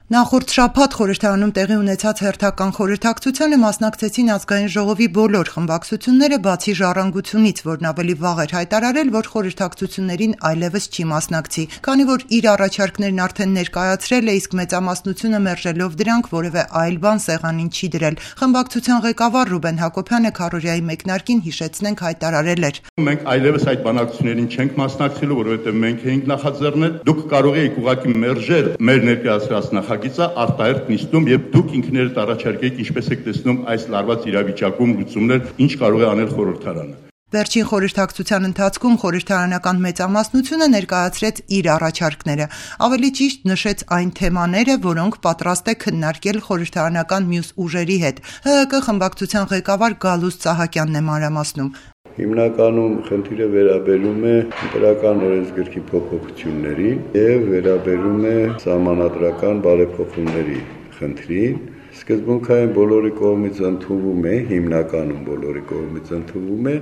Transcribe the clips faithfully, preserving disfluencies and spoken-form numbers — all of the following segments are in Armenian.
Նախորդ շաբաթ խորհրդարանում տեղի ունեցած հերթական խորհրդակցությանը մասնակցեցին ազգային ժողովի բոլոր խմբակցությունները, բացի Ժառանգությունից, որն ավելի վաղ էր հայտարարել, որ խորհրդակցություններին այլևս չի մասնակցի, քանի որ իր առաջարկներն արդեն ներկայացրել է, իսկ մեծամասնությունը մերժելով դրանք որևէ այլ բան սեղանին չի դրել։ Խմբակցության ղեկավար Ռուբեն Հակոբյանը քարոզիայի մեկնարկին հիշեցնենք հայտարարել էր. Մենք այլևս այդ բանակցություններին չենք մասնակցելու, որովհետև մենք էինք նախաձեռնել, դուք կարող եք ուղղակի մերժել մեր ներկայացրած նախագիծը արտահերթ նիստում եւ դուք ինքներդ առաջարկեք ինչպես եք տեսնում այս լարված իրավիճակում լուծումներ, ինչ կարող է անել խորհրդարանը։ Վերջին խորհրդակցության ընթացքում խորհրդարանական մեծամասնությունը ներկայացրեց իր առաջարկները, ավելի ճիշտ նշեց այն թեմաները, որոնք պատրաստ է քննարկել խորհրդարանական մյուս ուժերի հետ։ ՀՀԿ խմբակցության ղեկավար Գալուստ Սահակյանն է մանրամասնում. Հիմնականում խնդիրը վերաբերում է ընտրական օրենսգրքի փոփոխություններին եւ վերաբերում է սահմանադրական բարեփոխումների խնդրին։ Սկզբունքային բոլորի կողմից ընդունվում է, հիմնականում բոլորի կողմից ընդունվում է,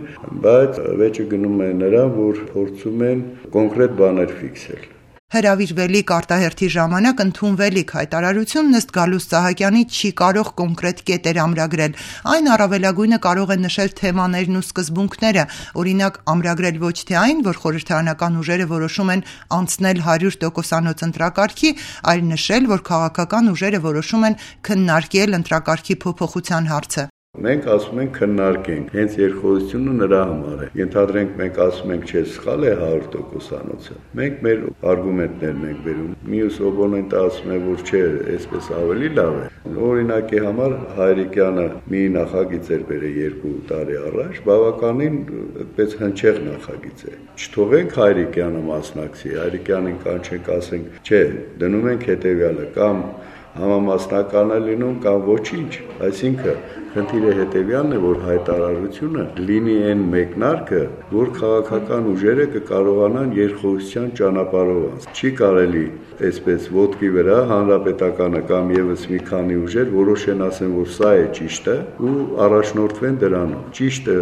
բայց վեճը գնում է նրան, որ փորձում են կոնկրետ բաներ ֆիքսել։ Հրավիրվելիք արտահերթի ժամանակ ընդունվելիք հայտարարությունն ըստ Գալուստ Սահակյանի չի կարող կոնկրետ կետեր ամրագրել, այն առավելագույնը կարող է նշել թեմաներն ու սկզբունքները, օրինակ ամրագրել ոչ թե այն, որ խորհրդարանական ուժերը որոշում են անցնել հարյուր տոկոսանոց ընտրակարգի, այլ նշել, որ քաղաքական ուժերը որոշում են քննարկել ընտրակարգի փոփոխության հարցը։ Մենք ասում ենք քննարկենք, հենց երկխոսությունը նրա համար է։ Ենթադրենք մենք ասում ենք, չէ, սխալ է հարյուր տոկոսանոցը։ Մենք մեր արգումենտներն ենք բերում։ Մյուս օպոնենտը ասում է, որ չէ, այսպես ավելի լավ է։ Օրինակի համար Հայրիկյանը մի նախագիծ էր բերել երկու տարի առաջ, բավականին այդպես հնչեղ նախագիծ է։ Չթողենք Հայրիկյանը մասնակցի, Հայրիկյանին կանչենք, ասենք, չէ, դնում ենք հետևյալը կամ համամասնական է լինում կամ ոչինչ, այսինքն խնդիրը հետևյալն է, որ հայտարարությունը լինի այն մեկնարկը, որ քաղաքական ուժերը կկարողանան երկխոսության ճանապարհով։ Չի կարելի այսպես ոտքի վրա հանրապետականը կամ եւս մի քանի ուժեր որոշեն, ասեն, որ սա է ճիշտը ու առաջնորդվեն դրանով։ Ճիշտը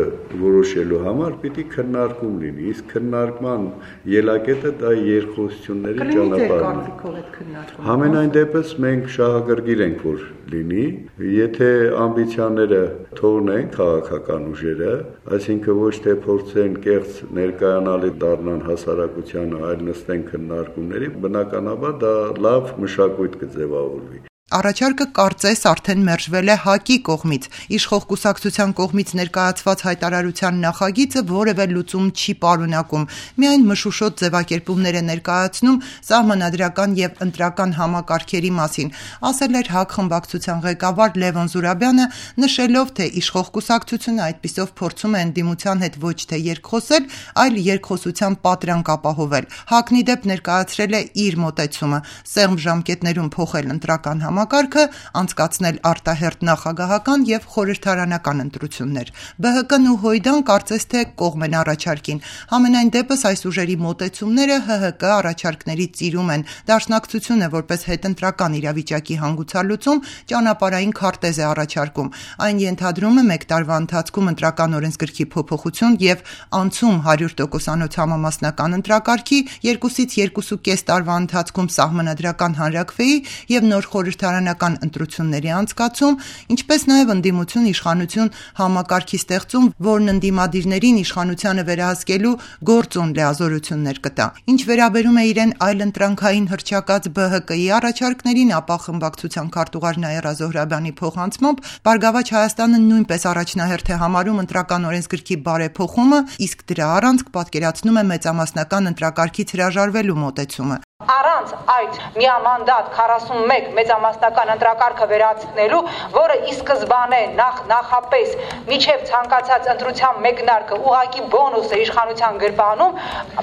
որոշելու համար պիտի քննարկում լինի, իսկ քննարկման ելակետը դա երկխոսությունների ճանապարհն է։ Համենայն դեպս մենք շահագրգիռ ենք, որ լինի, եթե ամբիցիաները թողնեն քաղաքական ուժերը, այսինքն ոչ թե փորձեն կեղծ ներկայանալի դառնան հասարակությանը, այլ նստեն քննարկումների, բնականաբար դա լավ մշակույթ կձևավորվի։ Առաջարկը կարծես արդեն մերժվել է ՀԱԿ-ի կողմից, իշխող կուսակցության կողմից ներկայացված հայտարարության նախագիծը որևէ լուծում չի պարունակում, միայն մշուշոտ ձևակերպումներ է ներկայացնում սահմանադրական եւ ընտրական համակարգերի մասին, ասել էր ՀԱԿ խմբակցության ղեկավար Լևոն Զուրաբյանը, նշելով, թե իշխող կուսակցությունը այդպիսով փորձում է ընդդիմության հետ ոչ թե երկխոսել, այլ երկխոսության պատրանք ապահովել։ ՀԱԿ-ն ի դեպ ներկայացրել է իր մոտեցումը՝ սեղմ ժամկետներում փոխել ընտրական համակարգը Համակարգը անցկացնել արտահերթ նախագահական եւ խորհրդարանական ընտրություններ։ ԲՀԿ-ն ու Հույդան կարծես թե կողմ են առաջարկին։ Համենայն դեպս այս ուժերի մոտեցումները ՀՀԿ առաջարկների ծիրում են։ Դաշնակցությունը որպես հետընտրական իրավիճակի հանգուցալուծում ճանապարհային քարտեզ է առաջարկում։ Այն ենթադրում է մեկ տարվա ընթացքում ընտրական օրենսգրքի փոփոխություն եւ անցում հարյուր տոկոսանոց համամասնական ընտրակարգի, երկուսից երկու եւ կես տարվա ընթացքում սահմանադրական հանրաքվեի եւ նոր խորհրդարանական ընտրությունների անցկացում, ինչպես նաև ընդդիմություն իշխանություն համակարգի ստեղծում, որն ընդդիմադիրներին իշխանությանը վերահսկելու գործոն լիազորություններ կտա։ Ինչ վերաբերում է իրեն այլընտրանքային հռչակած ԲՀԿ-ի առաջարկներին, ապա խմբակցության քարտուղար Նաիրա Զոհրաբյանի փոխանցմամբ Բարգավաճ Հայաստանը նույնպես առաջնահերթ է համարում ընտրական օրենսգրքի բարեփոխումը, իսկ դրա առանցք պատկերացնում է մեծամասնական ընտրակարգից հրաժարվելու մոտեցումը։ Առանց այդ միամանդատ քառասունմեկ մեծամասնական ընտրակարգը վերացնելու, որը ի սկզբանե նախ նախապես միջև ցանկացած ընտրության մեկնարկը ուղղակի բոնուս է իշխանության գրպանում,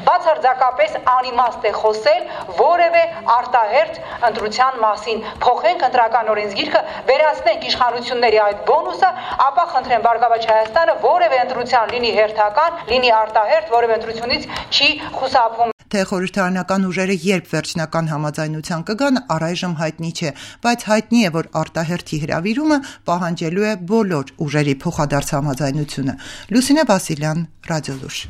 բացարձակապես անիմաստ է խոսել որևէ արտահերթ ընտրության մասին։ Փոխենք ընտրական օրենսգիրքը, վերացնենք իշխանությունների այդ բոնուսը, ապա խնդրեմ Բարգավաճ Հայաստանը որևէ ընտրության լինի հերթական, լինի արտահերթ, որևէ ընտրությունից չի խուսափում։ Թե խորհրդարանական ուժերը երբ վերջնական համաձայնության կգան, առայժմ հայտնի չէ, բայց հայտնի է, որ արտահերթի հրավիրումը պահանջելու է բոլոր ուժերի փոխադարձ համաձայնությունը։ Լուսինե Վասիլյան, Ռադիոլուր։